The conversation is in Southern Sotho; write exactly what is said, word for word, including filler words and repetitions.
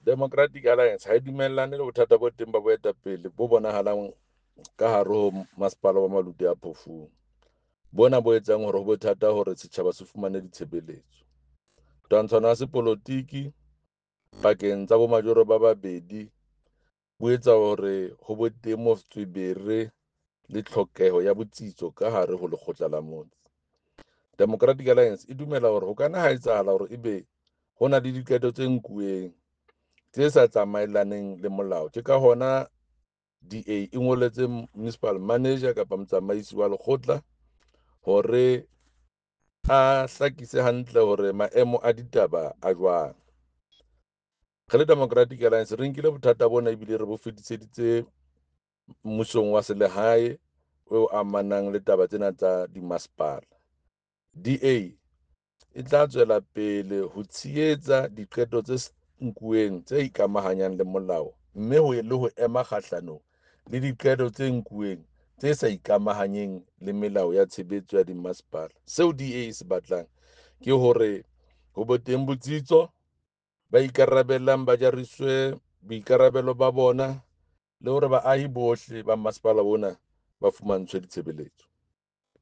Democratic Alliance ha e dumellane le bothata bo teng ba boetapele bo bonahalang ka hare ho masepala wa Maluti-a-Phofung. Bona bo etsang hore ho be thata hore setjhaba se fumane ditshebeletso. Twantshano ya sepolotiki pakeng tsa bomajoro ba babedi bo etsa hore ho be teng motswebere le tlhokeho ya botsitso ka hare ho lekgotla la motse. Democratic Alliance e dumela hore ho kana ha etsahala hore ebe ho na le diqeto tse nkuweng tse sa tsamaelaneng le molao. Ke ka hona D A e ngoletse municipal manager kapa motsamaisi wa lekgotla hore a hlakise hantle hore maemo a ditaba a jwang. Re le Democratic Alliance re nkile bothata bona ebile re bo fetiseditse mmusong wa selehae o amanang le taba tsena tsa dimasepala. D A e tla tswela pele ho tshehetsa diqeto tse nkuweng tse ikamahanyang le molao, mme ho le ho ema kgahlanong le diqeto tse nkuweng tse sa ikamahanyeng le melao ya tshebetso ya dimasepala. Seo D A e se batlang ke hore ho be teng botsitso, ba ikarabellang ba jariswe boikarabelo ba bona, le hore baahi bohle ba masepala ona ba fumantshwe ditshebeletso.